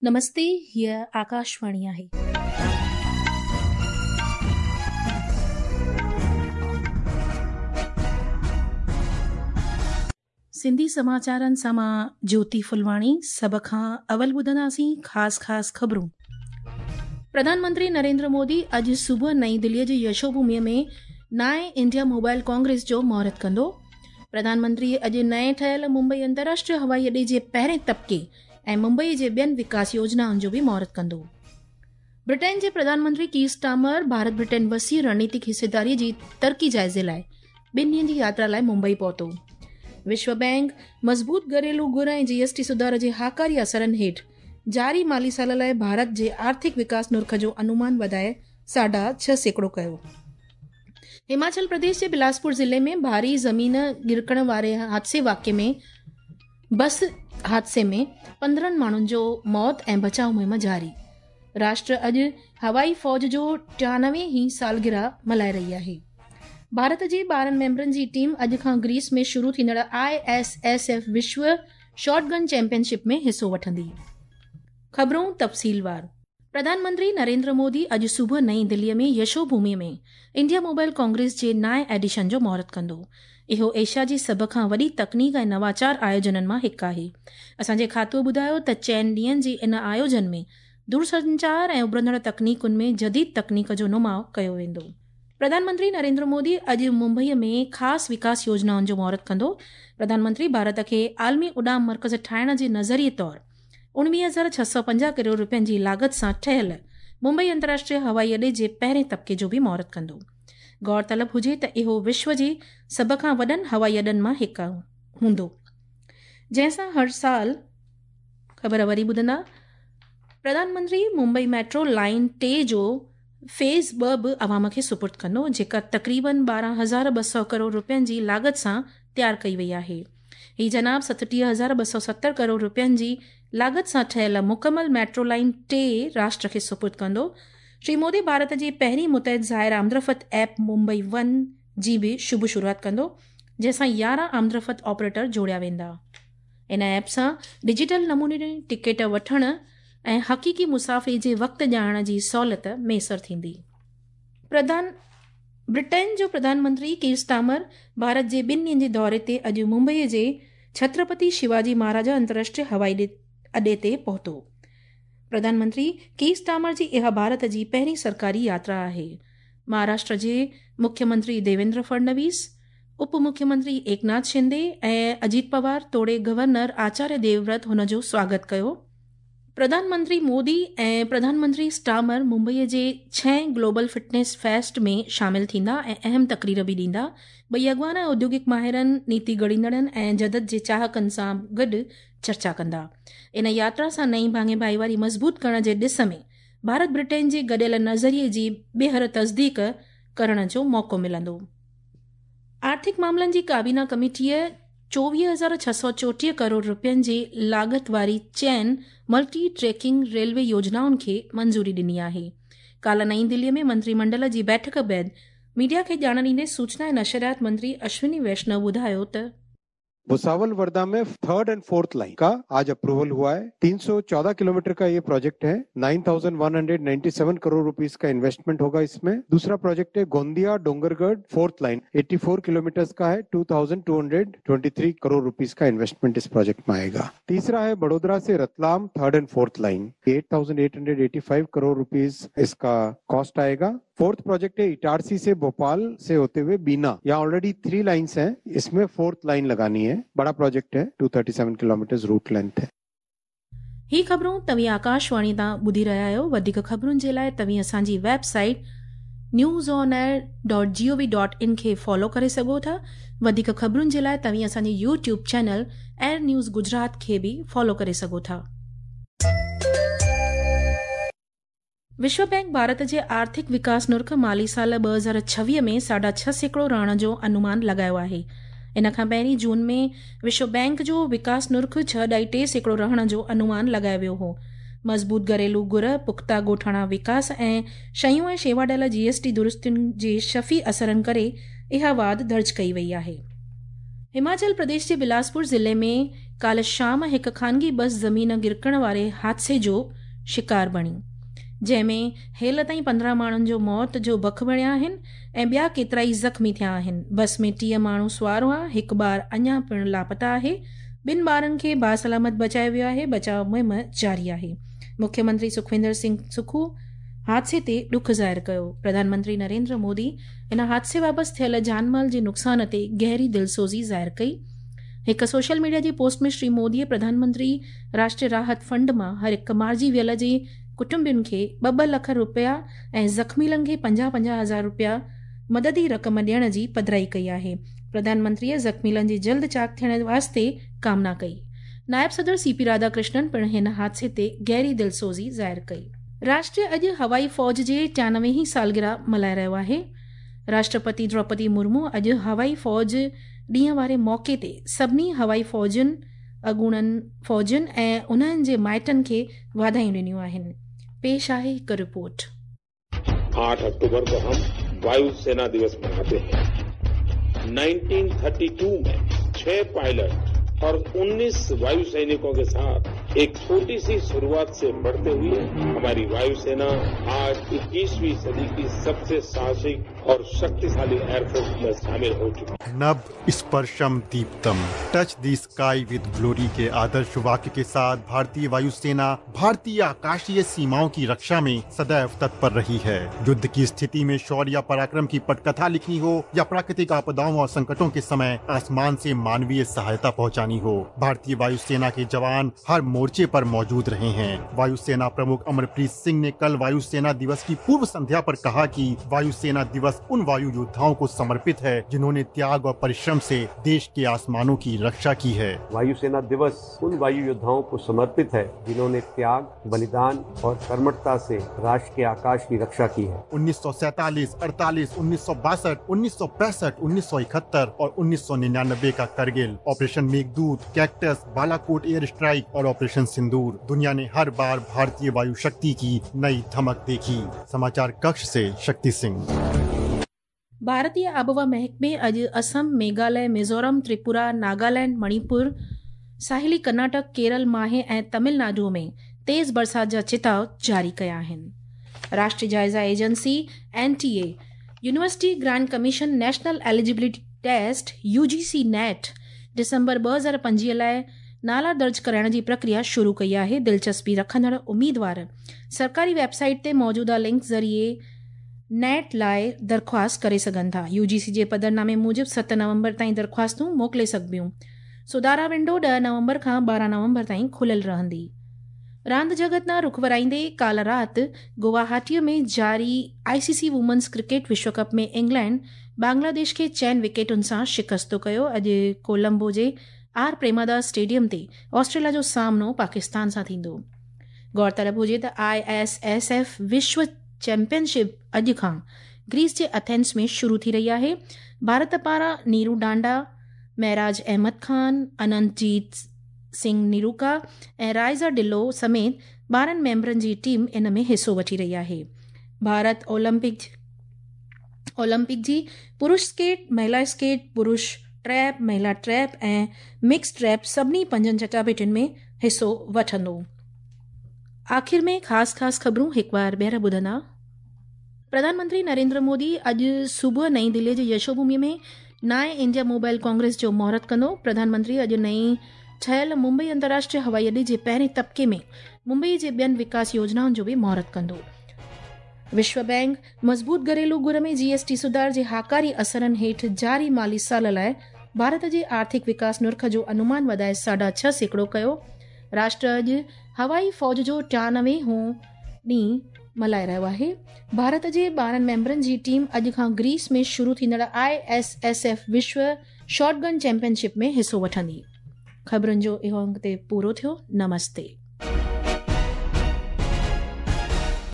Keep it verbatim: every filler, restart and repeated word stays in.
नमस्ते, हीअ आकाशवाणी आहे. सिंधी समाचारनि सां मां ज्योति फुलवाणी। सभ खां अवल ॿुधंदासीं ख़ासि ख़ासि ख़बरूं। प्रधानमंत्री नरेंद्र मोदी अॼु सुबुह नई दिल्लीअ जी यशोभूमिअ में नाए इंडिया मोबाइल कांग्रेस जो मुहूर्त कंदो। प्रधानमंत्री अॼु नए ठहियल मुंबई अंतर्राष्ट्रीय हवाई अॾे जे पहिरें तबिके ऐं मुंबई जे ॿियनि विकास योजनाउनि जो बि मुहूर्त कंदो। ब्रिटेन जे प्रधानमंत्री कीर स्टार्मर भारत ब्रिटेन वसी रणनीतिक हिस्सेदारी जी तरक़ी जाइज़े लाइ ॿिनि ॾींहनि जी यात्रा लाइ मुंबई पहुतो। विश्व बैंक मज़बूत घरेलू घुर ऐं जीएसटी सुधार जे हाकारी असरनि हेठि जारी माली साल लाइ भारत जे आर्थिक विकास नुर्ख जो अनुमान वधाए साढा छह सैकड़ो कयो। हिमाचल प्रदेश जे बिलासपुर ज़िले में भारी ज़मीन गिरकण वारे हादसे वाक़े में बस हादसे में पंद्रहं माण्हुनि जो मौत ऐं बचाव मुहिम जारी। राष्ट्र अॼु हवाई फ़ौज जो टियानवे ही सालगिरह मल्हाए रही आहे। भारत जे ॿारहं मेंबरनि जी टीम अॼु खां ग्रीस में शुरू थींदड़ I S S F विश्व शॉटगन चैंपियनशिप में हिसो वठंदी। ख़बरूं तफ़सीलवार। प्रधानमंत्री नरेंद्र मोदी अॼु सुबुह नई दिल्लीअ में यशोभूमि में इंडिया मोबाइल कांग्रेस जे नाए एडिशन जो मुहूर्त कंदो। इहो एशिया जी सभ खां वॾी तकनीक ऐं नवाचार आयोजननि मां हिकु आहे। असांजे खातूअ ॿुधायो त चइनि ॾींहनि जे इन आयोजन में दूरसंचार ऐं उभरंदड़ तकनीकुनि में जदीद तकनीक जो नुमाउ कयो वेंदो। प्रधानमंत्री नरेंद्र मोदी अॼु मुंबईअ में ख़ासि विकास योजनाउनि जो मुहूर्त कंदो। प्रधानमंत्री भारत खे आलमी उॾाम मर्कज़ ठाहिण जे नज़रिए तौर उणिवीह हज़ार छह सौ पंजाह करोड़ रुपयनि जी लागत सां ठहियल मुंबई अंतर्राष्ट्रीय हवाई अॾे जे पहिरें तबिके जो बि मुहूर्त कंदो। गौर तलब हुजे त इहो विश्व जे सभ खां वॾनि हवाई अॾनि मां हिकु हूंदो, जंहिं सां हर साल ख़बर वरी ॿुधंदा। प्रधानमंत्री मुंबई मेट्रो लाइन टे जो फेज़ ॿ बि अवाम खे सुपुर्द कंदो, जेका तक़रीबन ॿारहं हज़ार ॿ सौ करोड़ रुपयनि जी लागत सां तयारु कई वई आहे। हीअ जनाब सतटीह हज़ार ॿ सौ सतरि करोड़ रुपयनि जी लागत सां ठहियल मुकमल मेट्रो लाइन टे राष्ट्र खे सुपुर्द कंदो। श्री मोदी भारत जी पहिरीं मुतहद ज़ाहिर आमदरफ़्त ऐप मुंबई वन जी बि शुभ शुरूआत कंदो, जंहिंसां यारहं आमदरफ़्त ऑपरेटर जोड़िया वेंदा। इन ऐप सां डिजिटल नमूने में टिकेट वठण ऐं हक़ीक़ी मुसाफ़िरी जे वक़्त ॼाणण जी सहूलियत मयसर थींदी। प्रधान ब्रिटेन जो प्रधानमंत्री कीर स्टार्मर भारत जे ॿिनि ॾींहनि जे दौरे ते अॼु मुंबईअ जे छत्रपति शिवाजी महाराजा अंतर्राष्ट्रीय हवाई अॾे ते पहुतो। प्रधानमंत्री कीर स्टार्मर जी इहा भारत जी पहिरीं सरकारी यात्रा आहे। महाराष्ट्र जे मुख्यमंत्री देवेंद्र फडणवीस, उप मुख्यमंत्री एकनाथ शिंदे ऐं अजीत पवार तोड़े गवर्नर आचार्य देवव्रत हुन जो स्वागत कयो। प्रधानमंत्री मोदी ऐं प्रधानमंत्री स्टार्मर मुंबईअ जे छहें ग्लोबल फिटनेस फेस्ट में शामिल थींदा ऐं अहम तकरीर बि ॾींदा। ॿई अॻवान औद्योगिक माहिरनि, नीति घड़ींदड़नि ऐं जदत जे चाहकनि सां गॾु चर्चा कंदा। इन यात्रा सां नई भाङे भाईवारी मज़बूत करण जे ॾिस में भारत ब्रिटेन जे गॾियल नज़रिए जी ॿीहर तस्दीक करण जो मौक़ो मिलंदो। आर्थिक मामलनि जी काबीना कमेटीअ चोवीह हज़ार छह सौ चोटीह करोड़ रुपयनि जी लागत वारी चइनि मल्टी ट्रैकिंग रेलवे योजनाउनि खे मंज़ूरी ॾिनी आहे। काल्ह नई दिल्लीअ में मंत्रिमंडल जी बैठक बाद मीडिया खे ॼाण ॾींदे सूचना ऐं नशरियात मंत्री अश्विनी वैष्णव ॿुधायो त भुसावल वर्धा में थर्ड एंड फोर्थ लाइन का आज अप्रूवल हुआ है। तीन सौ चौदह किलोमीटर का ये प्रोजेक्ट है। नौ हज़ार एक सौ सत्तानवे करोड़ रुपीस का इन्वेस्टमेंट होगा इसमें। दूसरा प्रोजेक्ट है गोंदिया डोंगरगढ़ फोर्थ लाइन चौरासी किलोमीटर का है। दो हज़ार दो सौ तेईस करोड़ रुपीस का इन्वेस्टमेंट इस प्रोजेक्ट में आएगा। तीसरा है बड़ोदरा से Ratlam third and fourth line आठ हज़ार आठ सौ पचासी करोड़ रुपीस इसका कॉस्ट आएगा। फोर्थ प्रोजेक्ट है इटारसी से भोपाल से होते हुए बीना, यहाँ ऑलरेडी थ्री लाइंस हैं, इसमें फोर्थ लाइन लगानी है। बड़ा प्रोजेक्ट है, दो सौ सैंतीस किलोमीटर रूट लेंथ है। ही ख़बरूं तव्हीं आकाशवाणी तां ॿुधी रहिया आहियो। वधीक ख़बरुनि जे लाइ तव्हीं असांजी website news on air dot G O V dot in खे फॉलो करे सघो था। वधीक ख़बरुनि जे लाइ तव्हीं असांजे YouTube channel air news Gujarat खे बि फॉलो करे सघो था। विश्व बैंक भारत जे आर्थिक विकास नुर्ख माली साल ॿ हज़ार छवीह में साढा छह सैकड़ो रहण जो अनुमान लॻायो आहे। इन खां पहिरीं जून में विश्व बैंक जो विकास नुर्ख छह ॾाई टे सैकड़ो रहण जो अनुमान लॻायो वियो हो। मज़बूत घरेलू घुर, पुख़्ता ॻोठाणा विकास ऐं शयूं ऐं शेवा ॾियल जीएसटी दुरुस्तियुनि जे शफ़ी असरनि करे इहा वाध दर्ज कई वई आहे। हिमाचल प्रदेश जे बिलासपुर ज़िले में ڪالهه شام هڪ خانگي بس زمين گرڪڻ واري حادثي جو شڪار بڻي، جنهن ۾ هيل تائين پندرهن ماڻهن جو موت جو بک بڻيا آهن ۽ ٻيا ڪيترائي زخمي ٿيا آهن. بس ۾ ٽيهه ماڻهو سوار هئا، هڪ ٻار اڃا پڻ لاپتا آهي. ٻن ٻارن کي باسلامت بچايو ويو آهي، بچاء مهم جاري آهي. مکيه منتري سکويندر سنگهه سکو حادثي تي ڏک ظاهر ڪيو. پرڌان منتري نريندر مودي ان حادثي بابت ٿيل جان مال جي نقصان تي گهري دلسوزي ظاهر ڪئي. هڪ سوشل ميڊيا جي پوسٽ ۾ شري موديء پرڌان منتري راشٽريه راحت فنڊ مان هر هڪ مارجي ويل جي ڪٽنبن کي ٻه ٻه لک رپيا ۽ زخميلن کي پنجاهه پنجاهه هزار رپيا مددي رقم ڏيڻ جي پڌرائي ڪئي آهي. پرڌان منتريء زخميلن جي جلد چاڪ ٿيڻ واسطي ڪامنا ڪئي. نائب صدر سي پي راڌاڪرشنن پڻ هن حادثي تي گهري دلسوزي ظاهر ڪئي. راشٽر اڄ هوائي فوج جي ٽيانوي هين سالگرهه ملهائي رهيو آهي. راشٽرپتي دروپدي مرمو اڄ هوائي فوج ڏينهن واري موقعي تي سڀني هوائي فوجين، اڳوڻن فوجين ۽ انهن جي مائٽن کي واڌايون ڏنيون آهن. پيش آهي هڪ رپورٽ. आठ अक्टूबर को हम वायुसेना दिवस मनाते हैं। उन्नीस सौ बत्तीस में छह पायलट और उन्नीस वायु सैनिकों के साथ एक छोटी सी शुरुआत से बढ़ते हुए हमारी वायुसेना आज इक्कीसवीं सदी की सबसे साहसिक और शक्तिशाली एयरफोर्स में शामिल हो चुकी है। नभ स्पर्शम Deeptam, touch the sky with glory के आदर्श वाक्य के साथ भारतीय वायुसेना भारतीय आकाशीय सीमाओं की रक्षा में सदैव तत्पर रही है। युद्ध की स्थिति में शौर्य या पराक्रम की पटकथा लिखनी हो या प्राकृतिक आपदाओं और संकटों के समय आसमान से मानवीय सहायता पहुंचानी हो, भारतीय वायुसेना के जवान हर मोर्चे पर मौजूद रहे हैं। वायुसेना प्रमुख अमरप्रीत सिंह ने कल वायुसेना दिवस की पूर्व संध्या पर कहा कि वायुसेना दिवस उन वायु योद्धाओं को समर्पित है जिन्होंने त्याग और परिश्रम से देश के आसमानों की रक्षा की है। वायुसेना दिवस उन वायु योद्धाओं को समर्पित है जिन्होंने त्याग, बलिदान और कर्मठता से राष्ट्र के आकाश की रक्षा की है। उन्नीस सौ सैतालीस, अड़तालीस, उन्नीस सौ बासठ, उन्नीस सौ पैंसठ, उन्नीस सौ इकहत्तर और उन्नीस सौ निन्यानबे का Kargil, operation Meghdoot, Cactus, Balakot air strike और ऑपरेशन सिंदूर, दुनिया ने हर बार भारतीय वायु शक्ति की नई धमक देखी। समाचार कक्ष से शक्ति सिंह। भारतीय आबहवा महकमे अॼु असम, मेघालय, मिज़ोरम, त्रिपुरा, नागालैंड, मणिपुर, साहिली कर्नाटक, केरल, माहे ऐं तमिलनाडु में तेज़ बरसात जा चिताव जारी कया आहिनि। राष्ट्रीय जायज़ा agency N T A university grant commission national eligibility test U G C NET December ٻه हज़ार पंजवीह लाइ नाला दर्ज कराइण जी प्रक्रिया शुरू कई आहे। दिलचस्पी रखंदड़ उम्मीदवार सरकारी वेबसाइट ते मौजूदा लिंक ज़रिए नेट लाइ दरख़्वास्त करे सघनि था। You जी सी जे पधरनामे मूजिबि सत नवंबर ताईं दरख़्वास्तूं मोकिले सघबियूं। सुधारा विंडो ॾह नवंबर खां ॿारहं नवंबर ताईं खुलियल रहंदी। रांदि जगत ॾांहुं रुख वराईंदे काल्ह राति गुवाहाटीअ में जारी आई सी सी वुमेन्स क्रिकेट विश्व कप में इंग्लैंड बांग्लादेश खे चइनि विकेटुनि सां शिकस्त कयो। अॼु कोलंबो जे आर प्रेमादास स्टेडियम ते ऑस्ट्रेलिया जो सामनो पाकिस्तान सां थींदो। गौरतलब हुजे त I S S F विश्व चैंपियनशिप अॼु खां ग्रीस जे अथेंस में शुरू थी रही आहे। भारत पारां नीरू डांडा, महराज अहमद खान, अनंतजीत सिंह निरूका ऐं रायज़ा डिलो समेत ॿारहं मेंबरनि जी टीम इन में हिसो वठी रही आहे। भारत ओलंपिक ओलंपिक जी पुरुष स्केट, महिला स्केट, पुरुष ट्रैप, महिला ट्रैप ऐं मिक्स ट्रैप सभिनी पंजनि चटाभेटियुनि में हिसो वठंदो। आख़िर में ख़ासि ख़ासि ख़बरूं हिकु बार ॿीहर ॿुधंदा। प्रधानमंत्री नरेंद्र मोदी अॼु सुबुह नई दिल्लीअ जे यशोभूमि में नाए इंडिया मोबाइल कांग्रेस जो मुहूर्त कंदो। प्रधानमंत्री अॼु नई ठहियल मुंबई अंतर्राष्ट्रीय हवाई अॾे जे पहिरें तबिके में मुंबई जे ॿियनि विकास योजनाउनि जो बि मुहूर्त कंदो। विश्व बैंक मज़बूत घरेलू घुर में जी एस टी सुधार जे हाकारी असरनि हेठि जारी माली साल लाइ भारत जे आर्थिक विकास नुर्ख जो अनुमान वधाए साढा छह सैकड़ो कयो। राष्ट्र अॼु हवाई फ़ौज जो टियानवे हों ॾींहुं मल्हाए रहियो आहे। भारत जे ॿारहं मेंबरनि जी टीम अॼु खां ग्रीस में शुरू थींदड़ I S S F विश्व शॉटगन चैंपियनशिप में हिसो वठंदी। ख़बरुनि जो इहो अंक ते पूरो थियो। नमस्ते।